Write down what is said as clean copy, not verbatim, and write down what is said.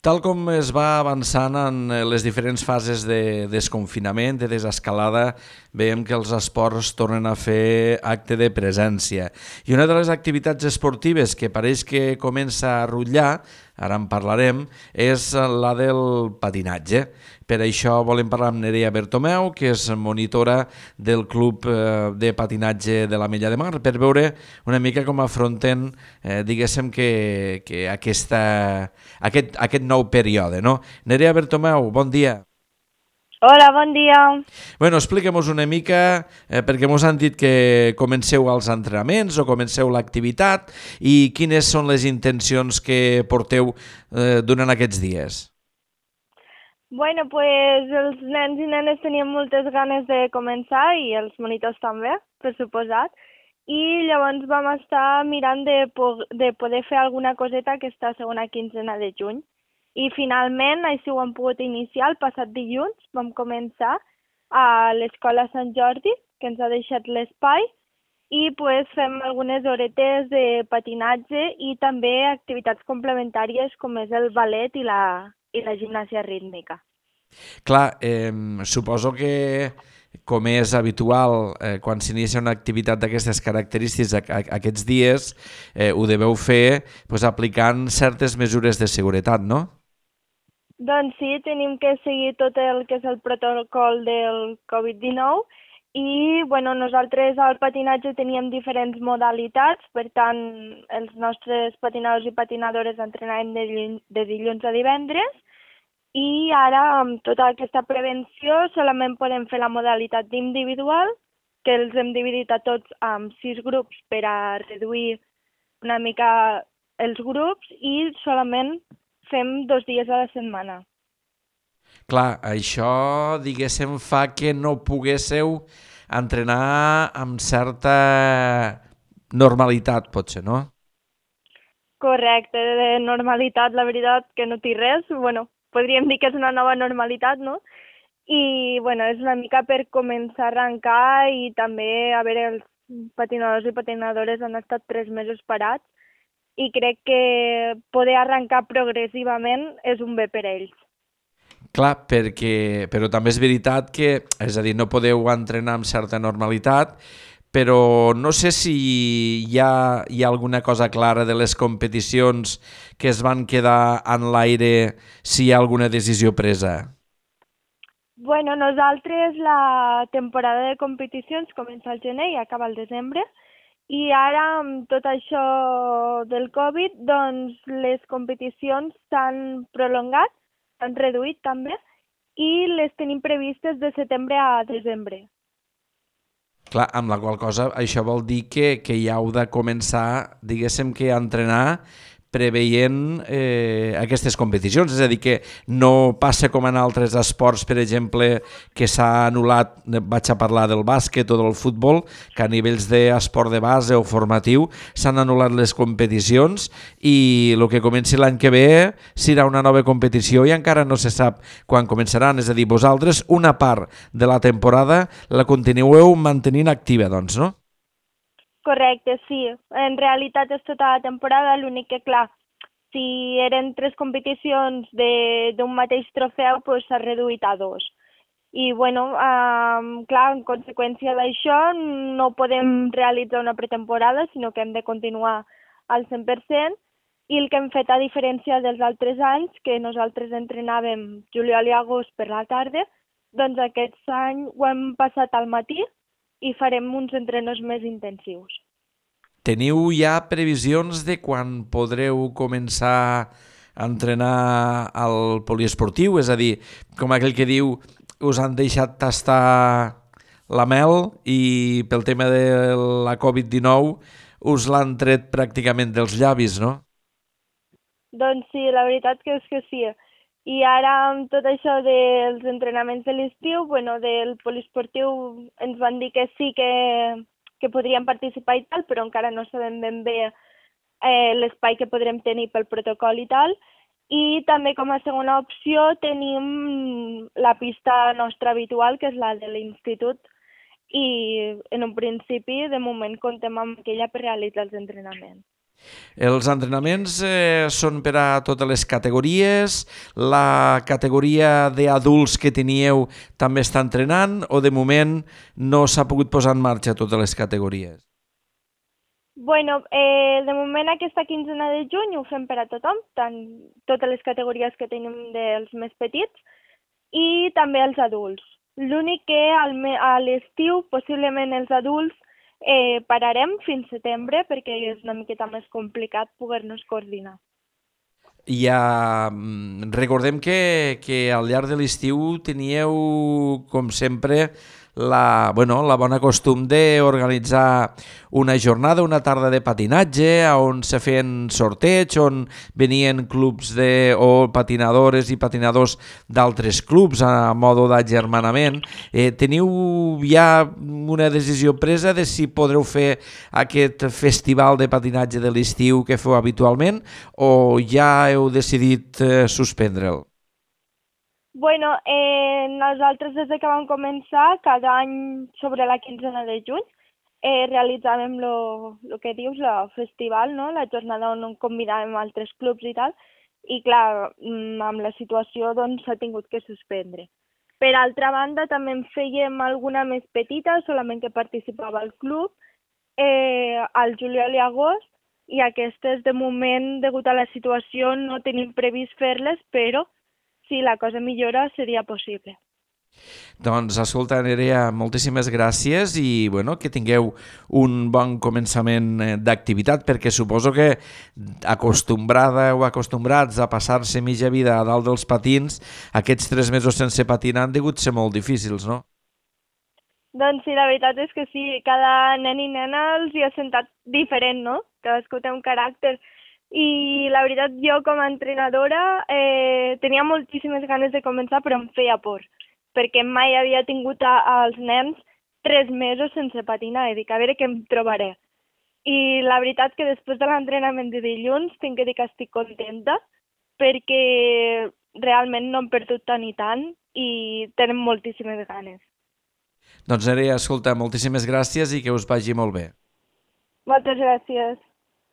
Tal com es va avançant en les diferents fases de desconfinament, de desescalada, veiem que els esports tornen a fer acte de presència. I una de les activitats esportives que pareix que comença a rutllar, ara en parlarem, és la del patinatge. Per això volem parlar amb Nerea Bertomeu, que és monitora del Club de Patinatge de l'Ametlla de Mar, per veure una mica com afronten, diguéssim, que aquest nou període, no? Nerea Bertomeu, bon dia. Hola, bon dia. Bueno, expliquem-nos una mica, perquè ens han dit que comenceu els entrenaments o comenceu l'activitat i quines són les intencions que porteu durant aquests dies. Bueno, pues els nens i nenes tenien moltes ganes de començar i els monitors també, per suposat. I llavors vam estar mirant de poder fer alguna coseta aquesta segona quinzena de juny. I finalment així ho hem pogut iniciar el passat dilluns. Vam començar a l'Escola Sant Jordi, que ens ha deixat l'espai, i pues, fem algunes horetes de patinatge i també activitats complementàries com és el ballet i la gimnàsia rítmica. Clar, suposo que, com és habitual, quan s'inicia una activitat d'aquestes característiques aquests dies, ho deveu fer pues, aplicant certes mesures de seguretat, no? Doncs sí, tenim que seguir tot el que és el protocol del Covid-19 i bueno, nosaltres al patinatge teníem diferents modalitats, per tant els nostres patinadors i patinadores entrenàvem de dilluns a divendres i ara amb tota aquesta prevenció solament podem fer la modalitat individual, que els hem dividit a tots en 6 grups per a reduir una mica els grups i solament fem 2 dies a la setmana. Clar, això, diguéssim, fa que no poguésseu entrenar amb certa normalitat, potser, no? Correcte, de normalitat, la veritat que no té res. Bueno, podríem dir que és una nova normalitat, no? I, bueno, és una mica per començar a arrencar i també, a veure, els patinadors i patinadores han estat 3 mesos parats i crec que poder arrencar progressivament és un bé per a ells. Clar, però també és veritat que, és a dir, no podeu entrenar amb certa normalitat, però no sé si hi ha alguna cosa clara de les competicions que es van quedar en l'aire, si hi ha alguna decisió presa. Bueno, nosaltres la temporada de competicions comença al gener i acaba al desembre i ara amb tot això del Covid doncs les competicions s'han prolongat, s'han reduït també i les tenim previstes de setembre a desembre. Clar, amb la qual cosa això vol dir que ja heu de començar, diguéssim que a entrenar preveient aquestes competicions, és a dir, que no passa com en altres esports, per exemple, que s'ha anul·lat, vaig a parlar del bàsquet o del futbol, que a nivells d'esport de base o formatiu s'han anul·lat les competicions i el que comenci l'any que ve serà una nova competició i encara no se sap quan començaran, és a dir, vosaltres una part de la temporada la continueu mantenint activa, doncs, no? Correcte, sí. En realitat és tota la temporada, l'únic que, clar, si eren 3 competicions d'un mateix trofeu, doncs s'ha reduït a 2. I, bueno, clar, en conseqüència d'això no podem realitzar una pretemporada, sinó que hem de continuar al 100%, i el que hem fet, a diferència dels altres anys, que nosaltres entrenàvem juliol i agost per la tarda, doncs aquest any ho hem passat al matí i farem uns entrenos més intensius. Teniu ja previsions de quan podreu començar a entrenar al poliesportiu? És a dir, com aquell que diu, us han deixat tastar la mel i pel tema de la Covid-19 us l'han tret pràcticament dels llavis, no? Doncs sí, la veritat que és que sí. I ara amb tot això dels entrenaments de l'estiu, bueno, del poliesportiu ens van dir que sí que podríem participar i tal, però encara no sabem ben bé l'espai que podrem tenir pel protocol i tal. I també com a segona opció tenim la pista nostra habitual, que és la de l'institut, i en un principi, de moment, comptem amb aquella per realitzar els entrenaments. Els entrenaments són per a totes les categories, la categoria d'adults que teníeu també està entrenant o de moment no s'ha pogut posar en marxa totes les categories? Bueno, de moment aquesta quinzena de juny ho fem per a tothom, tant totes les categories que tenim dels més petits i també els adults. L'únic que a l'estiu, possiblement els adults, pararem fins setembre perquè és una miqueta més complicat poder-nos coordinar. Recordem que al llarg de l'estiu teníeu, com sempre, la bona costum d'organitzar una jornada, una tarda de patinatge, on se feien sorteig, on venien clubs o patinadores i patinadors d'altres clubs a modo d'agermanament. Teniu ja una decisió presa de si podreu fer aquest festival de patinatge de l'estiu que feu habitualment o ja heu decidit suspendre'l? Bueno, nosaltres des que vam començar, cada any sobre la quinzena de juny, realitzàvem el que dius, el festival, no? La jornada on convidàvem altres clubs i tal, i clar, amb la situació doncs s'ha tingut que suspendre. Per altra banda, també en fèiem alguna més petita, solament que participava al club, al juliol i agost, i aquestes de moment, degut a la situació, no tenim previst fer-les, però si la cosa millora seria possible. Doncs escolta, Nerea, moltíssimes gràcies i que tingueu un bon començament d'activitat, perquè suposo que acostumbrada o acostumbrats a passar-se mitja vida a dalt dels patins, aquests 3 mesos sense patinar han degut ser molt difícils, no? Doncs sí, la veritat és que sí, cada nen i nena els hi ha sentat diferent, no? Cadascú té un caràcter. I la veritat, jo com a entrenadora tenia moltíssimes ganes de començar, però em feia por, perquè mai havia tingut als nens 3 mesos sense patinar, i dic, a veure què em trobaré. I la veritat que després de l'entrenament de dilluns tinc que dir que estic contenta, perquè realment no hem perdut tant i tant i tenen moltíssimes ganes. Doncs Nerea, escolta, moltíssimes gràcies i que us vagi molt bé. Moltes gràcies.